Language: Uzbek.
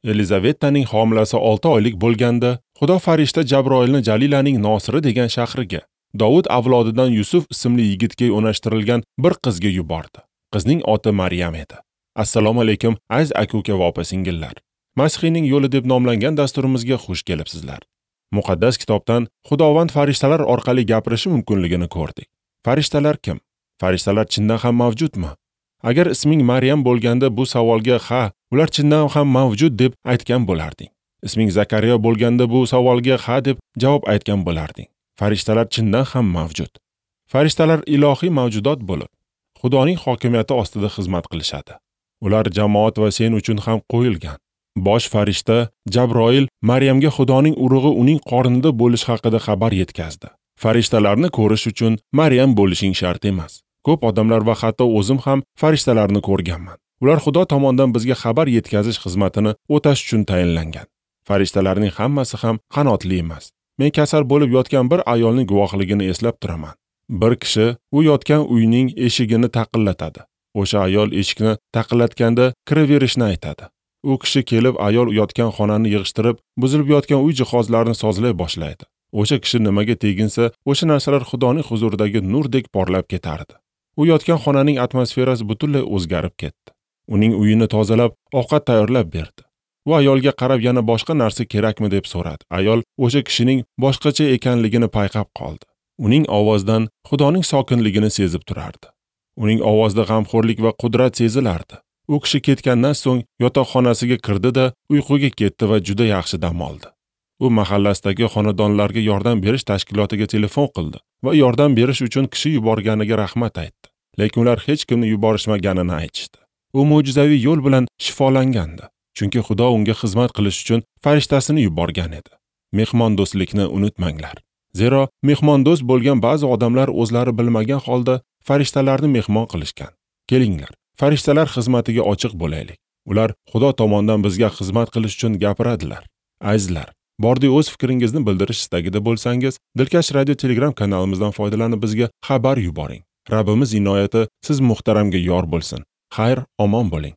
Elizavetaning homilasi 6 oylik bo'lganda, Xudo farishta Jabroilni Jalilaning Nosiri degan shahriga, Dovud avlodidan Yusuf ismli yigitga o'nashtirilgan bir qizga yubordi. Qizning oti Maryam edi. Assalomu alaykum, aziz aka-uka va opa-singillar. Masihiyning yo'li deb nomlangan dasturimizga xush kelibsizlar. Muqaddas kitobdan Xudovand farishtalar orqali gapirishi mumkinligini ko'rdik. Farishtalar kim? Farishtalar chindan ham mavjudmi? Agar isming Maryam bo'lganda bu savolga ha, ular chindan ham mavjud deb aytgan bo'larding. Isming Zakariya bo'lganda bu savolga ha deb javob aytgan bo'larding. Farishtalar chindan ham mavjud. Farishtalar ilohiy mavjudot bo'lib, Xudoning hokimiyati ostida xizmat qilishadi. Ular jamoat va sen uchun ham qo'yilgan. Bosh farishta Jabroil Maryamga Xudoning urug'i uning qornida bo'lish haqida xabar yetkazdi. Farishtalarni ko'rish uchun Maryam bo'lishing shart emas. Ko'p odamlar va hatto o'zim ham farishtalarni ko'rganman. Ular Xudo tomonidan bizga xabar yetkazish xizmatini o'tash uchun tayinlangan. Farishtalarning hammasi ham qanotli emas. Men kasal bo'lib yotgan bir ayolning guvohligini eslab turaman. Bir kishi u yotgan uyning eshigini taqillatadi. O'sha ayol eshikni taqillatganda kiraverishni aytadi. U kishi kelib ayol yotgan xonani yig'ishtirib, buzilib yotgan uy jihozlarini sozlay boshlaydi. O'sha kishi nimaga teginsa, o'sha narsalar Xudoning huzuridagi nurdek porlab ketardi. U yotgan xonaning atmosferasi butunlay o'zgarib ketdi. Uning uyini tozalab, ovqat tayyorlab berdi. U ayolga qarab yana boshqa narsa kerakmi deb so'radi. Ayol o'sha kishining boshqacha ekanligini payqab qoldi. Uning ovozidan Xudoning sokinligini sezib turardi. Uning ovozida g'amxo'rlik va qudrat sezilardi. U kishi ketgandan so'ng yotoqxonasiga kirdi-da, uyquga ketdi va juda yaxshi dam oldi. U mahallasidagi xonadonlarga yordam berish tashkilotiga telefon qildi va yordam berish uchun kishi yuborganiga rahmat aytdi. Lekin ular hech kimni yuborishmaganini aytishdi. U mo'jizaviy yo'l bilan shifolangandi, chunki Xudo unga xizmat qilish uchun farishtasini yuborgan edi. Mehmondo'stlikni unutmanglar. Zero mehmondo'st bo'lgan ba'zi odamlar o'zlari bilmagan holda farishtalarni mehmon qilishgan. Kelinglar, farishtalar xizmatiga ochiq bo'laylik. Ular Xudo tomonidan bizga xizmat qilish uchun gapiradilar. Azizlar, bordi o'z fikringizni bildirish istagida bo'lsangiz, Dilkash radio Telegram kanalimizdan foydalanib bizga xabar yuboring. Rabbimiz inoyati siz muhtaramga yor bo'lsin. Xayr, omon bo'ling.